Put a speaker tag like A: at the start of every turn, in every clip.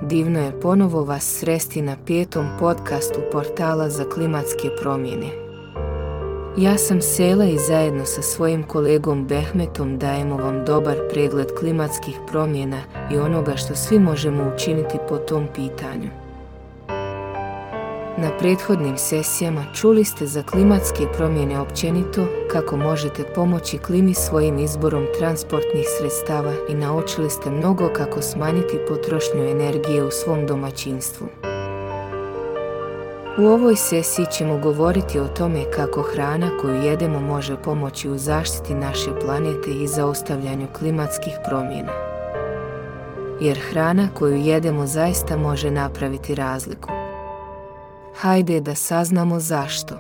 A: divno je ponovo vas sresti na 5. podcastu portala za klimatske promjene. Ja sam Sela i zajedno sa svojim kolegom Behmetom dajemo vam dobar pregled klimatskih promjena i onoga što svi možemo učiniti po tom pitanju. Na prethodnim sesijama čuli ste za klimatske promjene općenito, kako možete pomoći klimi svojim izborom transportnih sredstava i naučili ste mnogo kako smanjiti potrošnju energije u svom domaćinstvu. U ovoj sesiji ćemo govoriti o tome kako hrana koju jedemo može pomoći u zaštiti naše planete i zaustavljanju klimatskih promjena. Jer hrana koju jedemo zaista može napraviti razliku. Hajde da saznamo zašto.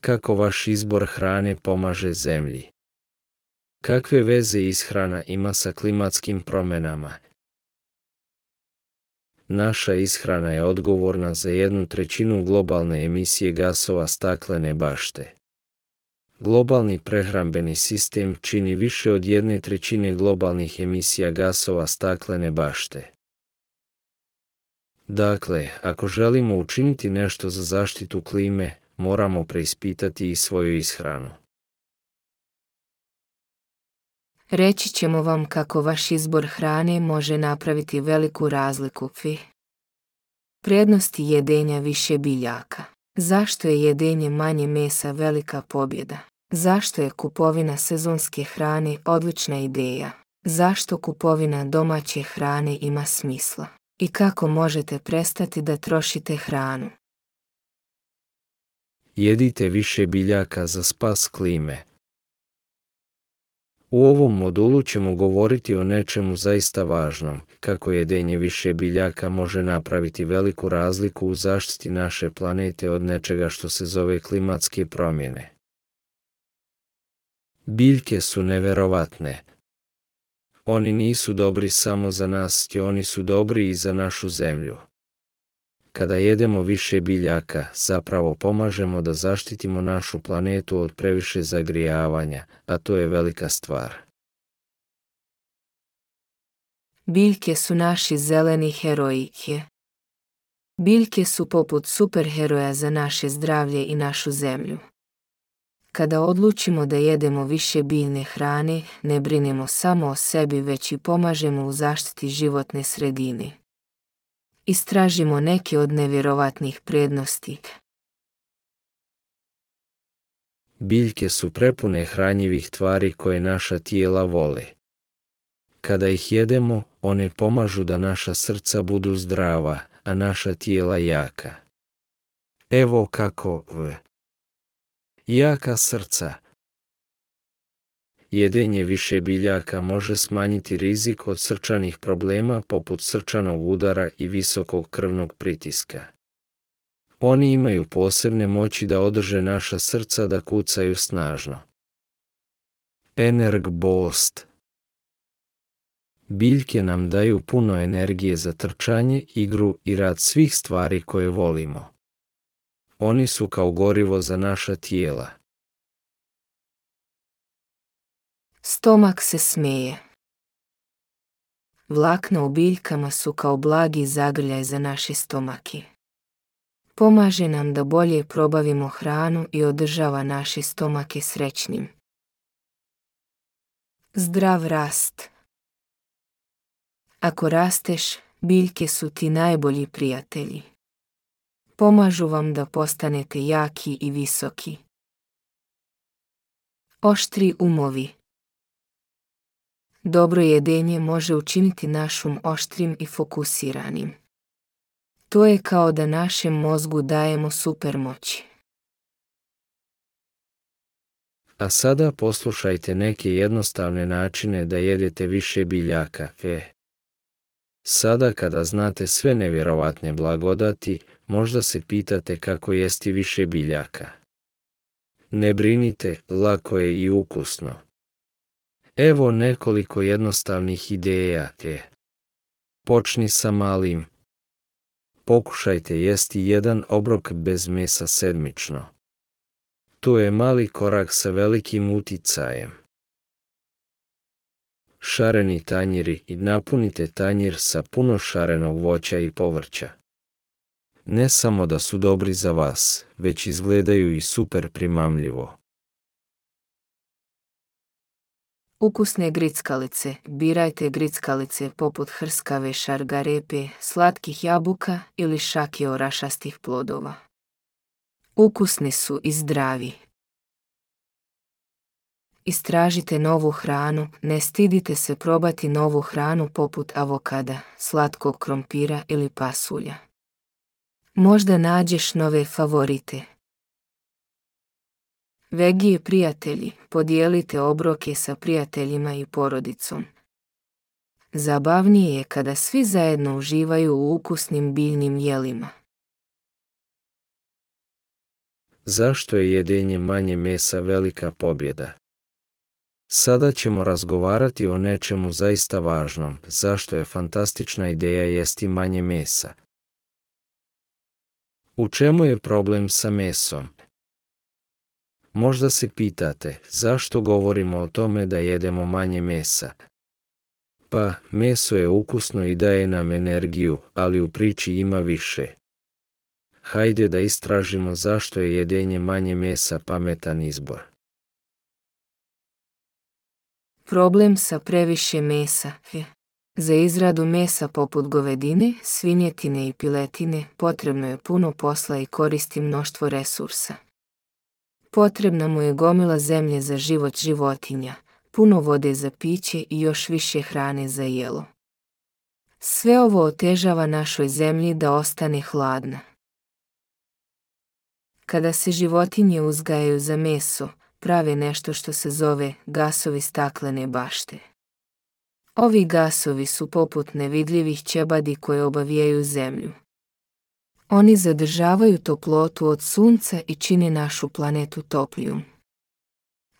B: Kako vaš izbor hrane pomaže zemlji? Kakve veze ishrana ima sa klimatskim promjenama? Naša ishrana je odgovorna za 1/3 globalne emisije gasova staklene bašte. Globalni prehrambeni sistem čini više od 1/3 globalnih emisija gasova staklene bašte. Dakle, ako želimo učiniti nešto za zaštitu klime, moramo preispitati i svoju ishranu.
A: Reći ćemo vam kako vaš izbor hrane može napraviti veliku razliku. Prednosti jedenja više biljaka. Zašto je jedenje manje mesa velika pobjeda? Zašto je kupovina sezonske hrane odlična ideja? Zašto kupovina domaće hrane ima smisla? I kako možete prestati da trošite hranu?
B: Jedite više biljaka za spas klime. U ovom modulu ćemo govoriti o nečemu zaista važnom, kako jedenje više biljaka može napraviti veliku razliku u zaštiti naše planete od nečega što se zove klimatske promjene. Biljke su neverovatne. Oni nisu dobri samo za nas, oni su dobri i za našu zemlju. Kada jedemo više biljaka, zapravo pomažemo da zaštitimo našu planetu od previše zagrijavanja, a to je velika stvar.
A: Biljke su naši zeleni heroji. Biljke su poput superheroja za naše zdravlje i našu zemlju. Kada odlučimo da jedemo više biljne hrane, ne brinemo samo o sebi, već i pomažemo u zaštiti životne sredine. Istražimo neke od nevjerovatnih prednosti.
B: Biljke su prepune hranjivih tvari koje naša tijela vole. Kada ih jedemo, one pomažu da naša srca budu zdrava, a naša tijela jaka. Evo kako jaka srca. Jedenje više biljaka može smanjiti rizik od srčanih problema poput srčanog udara i visokog krvnog pritiska. Oni imaju posebne moći da održe naša srca da kucaju snažno. Energbost. Biljke nam daju puno energije za trčanje, igru i rad svih stvari koje volimo. Oni su kao gorivo za naša tijela.
A: Stomak se smeje. Vlakna u biljkama su kao blagi zagrljaj za naše stomake. Pomaže nam da bolje probavimo hranu i održava naše stomake srećnim. Zdrav rast. Ako rasteš, biljke su ti najbolji prijatelji. Pomažu vam da postanete jaki i visoki. Oštri umovi. Dobro jedenje može učiniti naš um oštrim i fokusiranim. To je kao da našem mozgu dajemo supermoći.
B: A sada poslušajte neke jednostavne načine da jedete više biljaka. Sada kada znate sve nevjerovatne blagodati, možda se pitate kako jesti više biljaka. Ne brinite, lako je i ukusno. Evo nekoliko jednostavnih ideja. Počni sa malim. Pokušajte jesti 1 obrok bez mesa sedmično. To je mali korak sa velikim uticajem. šareni tanjiri i napunite tanjir sa puno šarenog voća i povrća. Ne samo da su dobri za vas, već izgledaju i super primamljivo.
A: Ukusne grickalice. Birajte grickalice poput hrskave šargarepe, slatkih jabuka ili šake orašastih plodova. Ukusni su i zdravi. Istražite novu hranu, ne stidite se probati novu hranu poput avokada, slatkog krompira ili pasulja. Možda nađeš nove favorite. Veggie prijatelji, podijelite obroke sa prijateljima i porodicom. Zabavnije je kada svi zajedno uživaju u ukusnim biljnim jelima.
B: Zašto je jedenje manje mesa velika pobjeda? Sada ćemo razgovarati o nečemu zaista važnom, zašto je fantastična ideja jesti manje mesa. U čemu je problem sa mesom? Možda se pitate, zašto govorimo o tome da jedemo manje mesa? Pa, meso je ukusno i daje nam energiju, ali u priči ima više. Hajde da istražimo zašto je jedenje manje mesa pametan izbor.
A: Problem sa previše mesa je. Za izradu mesa poput govedine, svinjetine i piletine potrebno je puno posla i koristi mnoštvo resursa. Potrebna mu je gomila zemlje za život životinja, puno vode za piće i još više hrane za jelo. Sve ovo otežava našoj zemlji da ostane hladna. Kada se životinje uzgajaju za meso, prave nešto što se zove gasovi staklene bašte. Ovi gasovi su poput nevidljivih ćebadi koje obavijaju zemlju. Oni zadržavaju toplotu od sunca i čine našu planetu toplijom.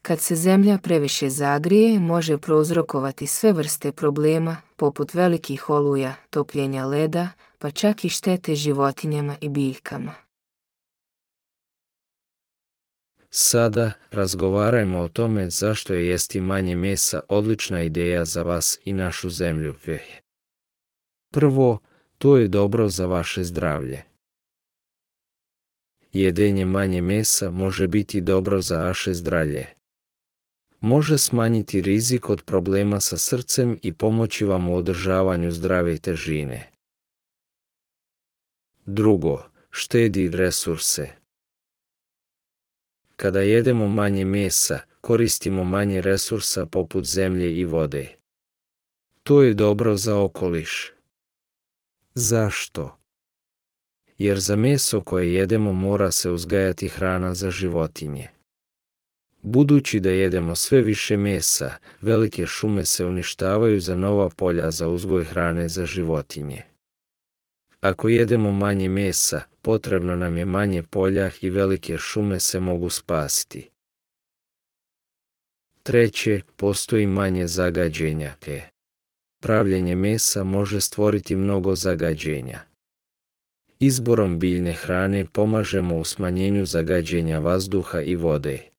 A: Kad se zemlja previše zagrije, može prouzrokovati sve vrste problema, poput velikih oluja, topljenja leda, pa čak i štete životinjama i biljkama.
B: Sada razgovarajmo o tome zašto je jesti manje mesa odlična ideja za vas i našu zemlju. Prvo, to je dobro za vaše zdravlje. Jedenje manje mesa može biti dobro za vaše zdravlje. Može smanjiti rizik od problema sa srcem i pomoći vam u održavanju zdrave težine. Drugo, štedi resurse. Kada jedemo manje mesa, koristimo manje resursa poput zemlje i vode. To je dobro za okoliš. Zašto? Jer za meso koje jedemo mora se uzgajati hrana za životinje. Budući da jedemo sve više mesa, velike šume se uništavaju za nova polja za uzgoj hrane za životinje. Ako jedemo manje mesa, potrebno nam je manje polja i velike šume se mogu spasiti. Treće, postoji manje zagađenja. Pravljenje mesa može stvoriti mnogo zagađenja. Izborom biljne hrane pomažemo u smanjenju zagađenja vazduha i vode.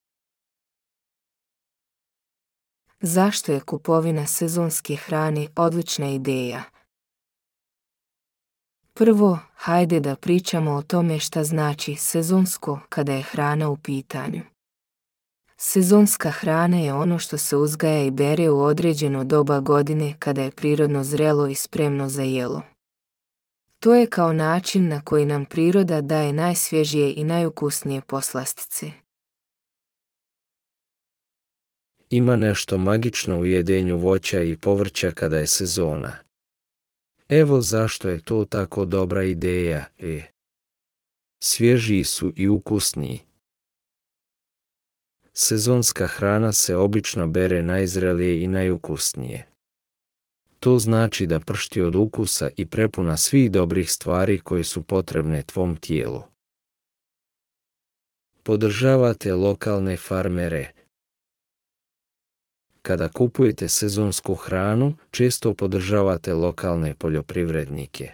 A: Zašto je kupovina sezonske hrane odlična ideja? Prvo, hajde da pričamo o tome šta znači sezonsko kada je hrana u pitanju. Sezonska hrana je ono što se uzgaja i bere u određeno doba godine kada je prirodno zrelo i spremno za jelo. To je kao način na koji nam priroda daje najsvježije i najukusnije poslastice.
B: Ima nešto magično u jedenju voća i povrća kada je sezona. Evo zašto je to tako dobra ideja. Svježiji su i ukusniji. Sezonska hrana se obično bere najzrelije i najukusnije. To znači da pršti od ukusa i prepuna svih dobrih stvari koje su potrebne tvom tijelu. Podržavate lokalne farmere. Kada kupujete sezonsku hranu, često podržavate lokalne poljoprivrednike.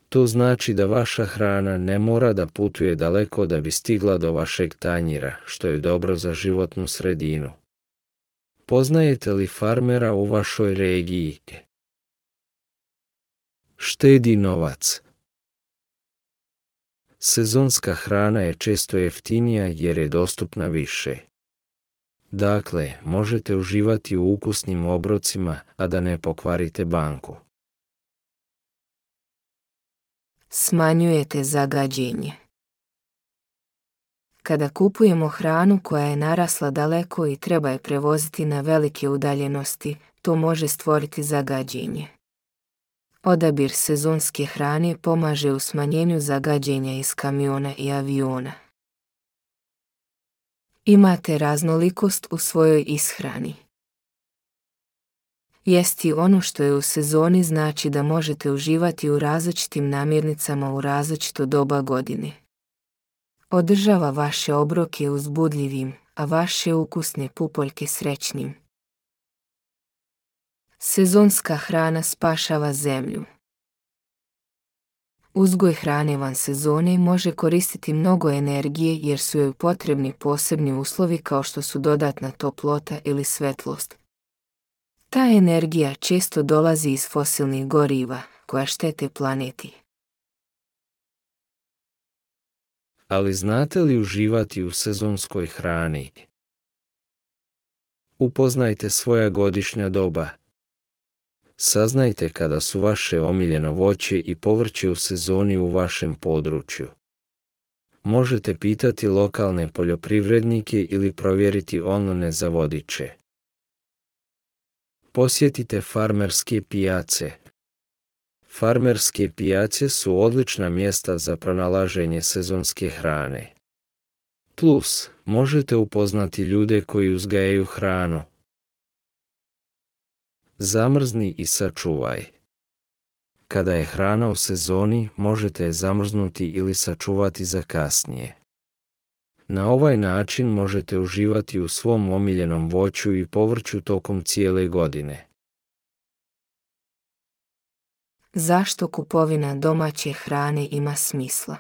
B: To znači da vaša hrana ne mora da putuje daleko da bi stigla do vašeg tanjira, što je dobro za životnu sredinu. Poznajete li farmera u vašoj regiji? Štedi novac. Sezonska hrana je često jeftinija jer je dostupna više. Dakle, možete uživati u ukusnim obrocima, a da ne pokvarite banku.
A: Smanjujete zagađenje. Kada kupujemo hranu koja je narasla daleko i treba je prevoziti na velike udaljenosti, to može stvoriti zagađenje. Odabir sezonske hrane pomaže u smanjenju zagađenja iz kamiona i aviona. Imate raznolikost u svojoj ishrani. Jesti ono što je u sezoni znači da možete uživati u različitim namirnicama u različito doba godine. Održava vaše obroke uzbudljivim, a vaše ukusne pupoljke srećnim. Sezonska hrana spašava zemlju. Uzgoj hrane van sezone može koristiti mnogo energije jer su joj potrebni posebni uslovi kao što su dodatna toplota ili svetlost. Ta energija često dolazi iz fosilnih goriva, koja štete planeti.
B: Ali znate li uživati u sezonskoj hrani? Upoznajte svoja godišnja doba. Saznajte kada su vaše omiljeno voće i povrće u sezoni u vašem području. Možete pitati lokalne poljoprivrednike ili provjeriti online za vodiče. Posjetite farmerske pijace. Farmerske pijace su odlična mjesta za pronalaženje sezonske hrane. Plus, možete upoznati ljude koji uzgajaju hranu. Zamrzni i sačuvaj. Kada je hrana u sezoni, možete je zamrznuti ili sačuvati za kasnije. Na ovaj način možete uživati u svom omiljenom voću i povrću tokom cijele godine.
A: Zašto kupovina domaće hrane ima smisla?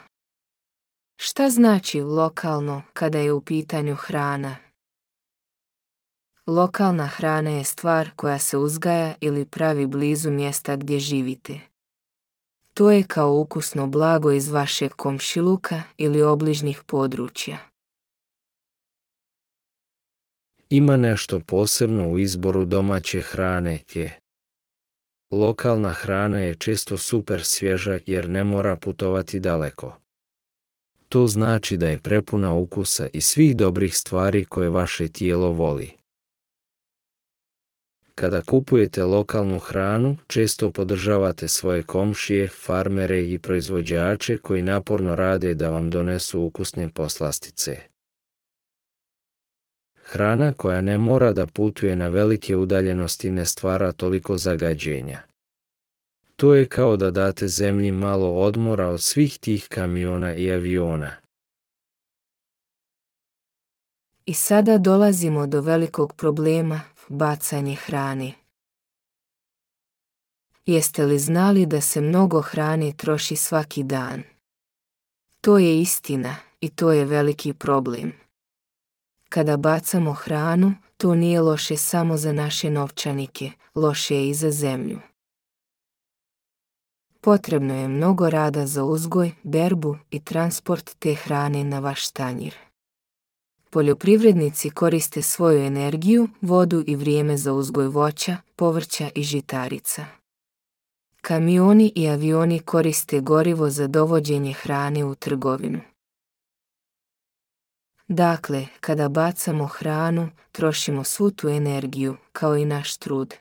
A: Šta znači lokalno kada je u pitanju hrana? Lokalna hrana je stvar koja se uzgaja ili pravi blizu mjesta gdje živite. To je kao ukusno blago iz vašeg komšiluka ili obližnjih područja.
B: Ima nešto posebno u izboru domaće hrane. Lokalna hrana je često super svježa jer ne mora putovati daleko. To znači da je prepuna ukusa i svih dobrih stvari koje vaše tijelo voli. Kada kupujete lokalnu hranu, često podržavate svoje komšije, farmere i proizvođače koji naporno rade da vam donesu ukusne poslastice. Hrana koja ne mora da putuje na velike udaljenosti ne stvara toliko zagađenja. To je kao da date zemlji malo odmora od svih tih kamiona i aviona.
A: I sada dolazimo do velikog problema, bacanje hrane. Jeste li znali da se mnogo hrane troši svaki dan? To je istina i to je veliki problem. Kada bacamo hranu, to nije loše samo za naše novčanike, loše je i za zemlju. Potrebno je mnogo rada za uzgoj, berbu i transport te hrane na vaš tanjir. Poljoprivrednici koriste svoju energiju, vodu i vrijeme za uzgoj voća, povrća i žitarica. Kamioni i avioni koriste gorivo za dovođenje hrane u trgovinu. Dakle, kada bacamo hranu, trošimo svu tu energiju, kao i naš trud.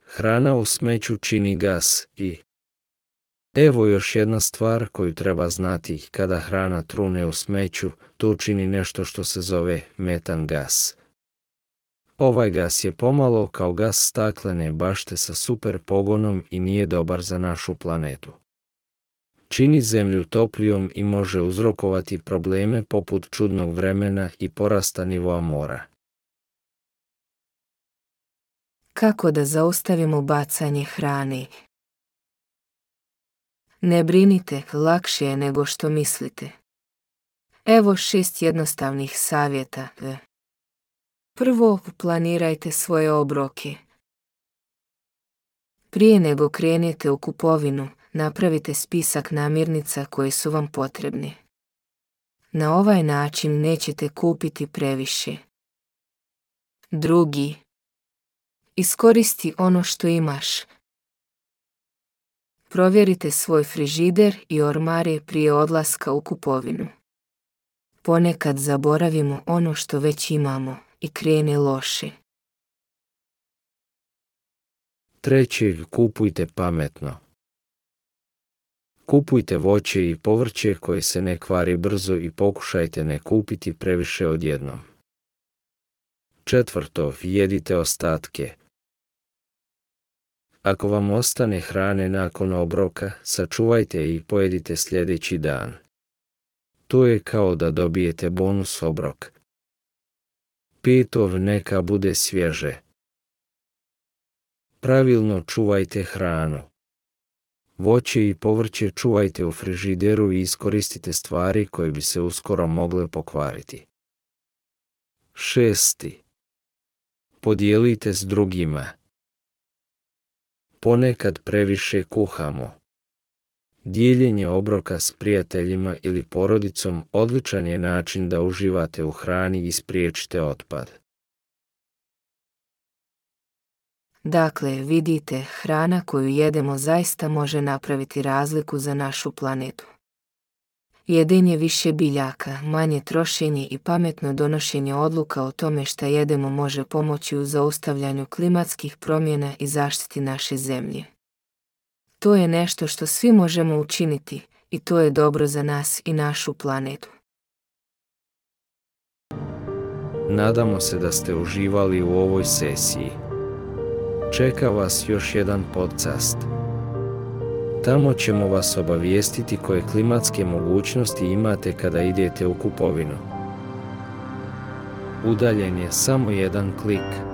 B: Hrana u smeću čini gas i... Evo još jedna stvar koju treba znati, kada hrana trune u smeću, to čini nešto što se zove metan gas. Ovaj gas je pomalo kao gas staklene bašte sa super pogonom i nije dobar za našu planetu. Čini zemlju toplijom i može uzrokovati probleme poput čudnog vremena i porasta nivoa mora.
A: Kako da zaustavimo bacanje hrane? Ne brinite, lakše je nego što mislite. Evo 6 jednostavnih savjeta. Prvo, planirajte svoje obroke. Prije nego krenete u kupovinu, napravite spisak namirnica koje su vam potrebne. Na ovaj način nećete kupiti previše. Drugi, iskoristi ono što imaš. Provjerite svoj frižider i ormare prije odlaska u kupovinu. Ponekad zaboravimo ono što već imamo i krene loše.
B: Treći, kupujte pametno. Kupujte voće i povrće koje se ne kvari brzo i pokušajte ne kupiti previše odjednom. Četvrto, jedite ostatke. Ako vam ostane hrane nakon obroka, sačuvajte i pojedite sljedeći dan. To je kao da dobijete bonus obrok. Peto, neka bude svježe. Pravilno čuvajte hranu. Voće i povrće čuvajte u frižideru i iskoristite stvari koje bi se uskoro mogle pokvariti. Šesti, podijelite s drugima. Ponekad previše kuhamo. Dijeljenje obroka s prijateljima ili porodicom odličan je način da uživate u hrani i spriječite otpad.
A: Dakle, vidite, hrana koju jedemo zaista može napraviti razliku za našu planetu. Jedenje više biljaka, manje trošenje i pametno donošenje odluka o tome šta jedemo može pomoći u zaustavljanju klimatskih promjena i zaštiti naše zemlje. To je nešto što svi možemo učiniti i to je dobro za nas i našu planetu.
B: Nadamo se da ste uživali u ovoj sesiji. Čeka vas još jedan podcast. Tamo ćemo vas obavijestiti koje klimatske mogućnosti imate kada idete u kupovinu. Udaljen je samo jedan klik.